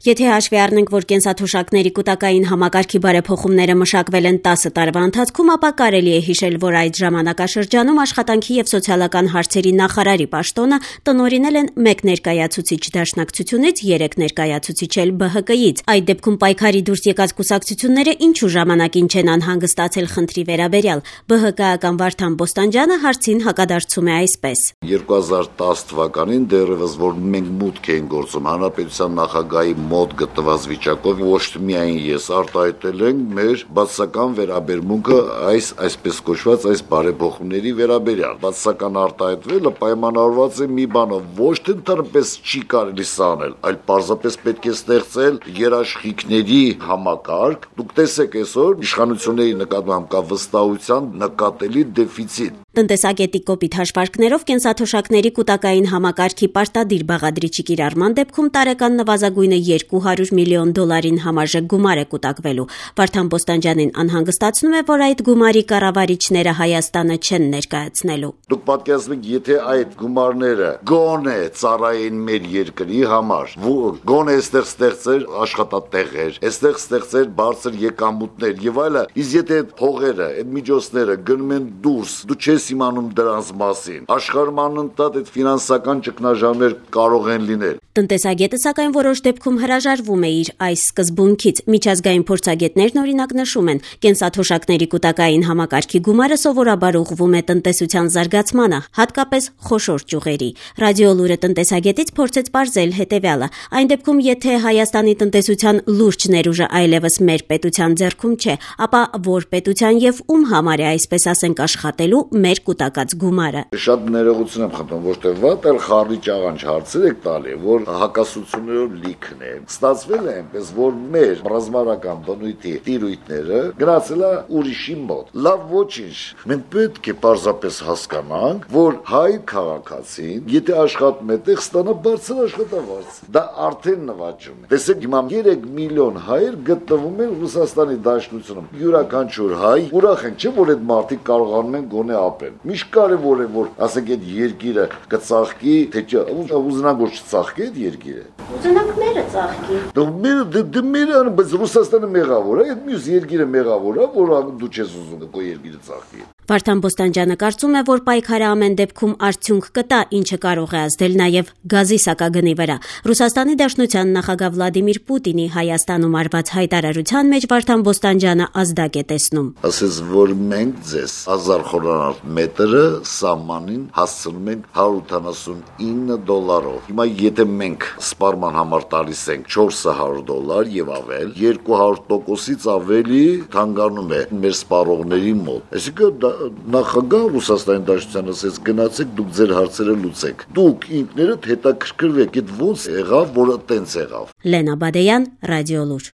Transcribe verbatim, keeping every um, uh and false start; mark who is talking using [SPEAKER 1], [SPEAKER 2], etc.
[SPEAKER 1] Եթե հաշվի առնենք, որ կենսաթոշակների կուտակային համակարգի բարեփոխումները մշակվել են տասը տարվա ընթացքում, ապա կարելի է հիշել, որ այդ ժամանակաշրջանում աշխատանքի եւ սոցիալական հարցերի նախարարի պաշտոնը տնօրինել են մեկ ներկայացուցիչ դաշնակցությունից, երեք ներկայացուցիչ էլ Բ Հ Կ-ից։ Այդ դեպքում պայքարի դուրս եկած կուսակցությունները ինչու ժամանակին չեն անհանգստացել խնդրի վերաբերյալ։ Բ Հ Կ-ական Վարդան Բոստանջյանը հարցին հակադարձում է այսպես.
[SPEAKER 2] երկու հազար տասը թվականին դեռևս որ մենք մուտք էին գործում հանրապետության նախագահի մոտ գտնված վիճակով ոչ միայն ես արտահայտել ենք մեր բացասական վերաբերմունքը այս այսպես կոչված այս բարեփոխումների վերաբերյալ։ Բացասական արտահայտվելը պայմանավորված է մի բանով, ոչ թե ընդհանրապես չի կարելի սանել, այլ պարզապես պետք է ստեղծել երաշխիքների համակարգ։ Դուք տեսեք այսօր իշխանությունների նկատմամբ կա վստահության նկատելի դեֆիցիտ։
[SPEAKER 1] Տնտեսագետի կոպիտ հաշվարկներով կենսաթոշակների կուտակային համակարգի պարտադիր բաղադրիչի կիրառման դեպքում տարեկան նվազագույնը երկու հարյուր միլիոն դոլարին համարժեք գումար է կուտակվելու։ Վարդան Բոստանջյանին անհանգստացնում է, որ այդ գումարի կառավարիչները Հայաստանը չեն ներկայացնելու։
[SPEAKER 2] Դուք պատկերացնեք, եթե այդ գումարները գոնե ծառայեն մեր երկրի համար, գոնե այստեղ ստեղծեր աշխատատեղեր, այստեղ ստեղծեր բարձր եկամուտներ եւ այլը, իսկ եթե այդ փողերը, այդ միջոցները գնում են դուրս, դու չես իմանում դրանց մասին։ Աշխարհում անընդհատ այդ ֆինանսական ճգնաժամեր կարող են լինել։
[SPEAKER 1] Տնտեսագետը սակայն որոշ դեպքում հրաժարվում է իր այս սկզբունքից։ Միջազգային փորձագետներն օրինակ նշում են, կենսաթոշակների կուտակային համակարգի գումարը սովորաբար ուղղվում է տնտեսության զարգացմանը, հատկապես խոշոր ճյուղերի։ Ռադիոլուրը տնտեսագետից փորձեց պարզել հետևյալը. այն դեպքում, եթե Հայաստանի տնտեսության լուրջ ներուժը այլևս մեր պետության ձեռքում չէ, ապա որ պետության եւ ում համար է այսպես ասենք աշխատելու մեր կուտակած գումարը։
[SPEAKER 2] Շատ ներողություն եմ խնդրում, ոչ թե վատ, այլ խառի ճաղանջ հարցեր եք տալի, որ հակասություններով լիքն է։ Ստացվել է այնպես, որ մեր ռազմավարական բնույթի տիրույթները գնացել է ուրիշի մոտ։ Լավ, ոչինչ։ Մենք պետք է պարզապես հասկանանք, որ հայ քաղաքացին, եթե աշխատում է, տեղ ստանա բարձր աշխատավարձ։ Դա արդեն նվաճում է։ Տեսեք, հիմա երեք միլիոն հայեր գտնվում են Ռուսաստանի Դաշնությունում։ Յուրաքանչյուր հայ ուրախ են, չէ՞ որ այդ մարդիկ կարողանում են գոնե ապրել։ Միշտ կարևոր է, որ ասենք այդ երկիրը կծաղկի, թե չէ, ուզենանք որ չծաղկի այդ երկիրը։
[SPEAKER 1] Ուզենանք մերը ծաղկի։
[SPEAKER 2] Դու մերը դե մերը, բայց Ռուսաստանը մեղավոր է, այդ մյուս երկիրը մեղավոր է, որ դու չես ուզում քո երկիրը ծաղկի։
[SPEAKER 1] Վարդան Բոստանջյանը կարծում է, որ պայքարը ամեն դեպքում արդյունք կտա, ինչը կարող է ազդել նաև գազի սակագնի վրա։ Ռուսաստանի Դաշնության նախագահ Վլադիմիր Պուտինի Հայաստանում արված հայտարարության մեջ Վարդան Բոստանջյանը ազդակ է տեսնում։
[SPEAKER 2] Ասես, որ մենք ձեզ հազար խորանարդ մետրը սահմանին հասցնում ենք հարյուր ութանասունինը դոլարով։ Հիմա եթե մենք սպառման համար տալիս ենք չորս հարյուր դոլար եւ ավել, երկու հարյուր տոկոսից ավելի թանկանում է մեր սպառողների մոտ։ Այսինքն նախագահ Ռուսաստանի Դաշնության ասեց գնացեք դուք ձեր հարցերը լուծեք։ Դուք ինքներդ հետաքրքրվեք, այդ ոնց եղավ, որը տենց եղավ։
[SPEAKER 1] Լենա Բադեյան, Ռադիոլուր։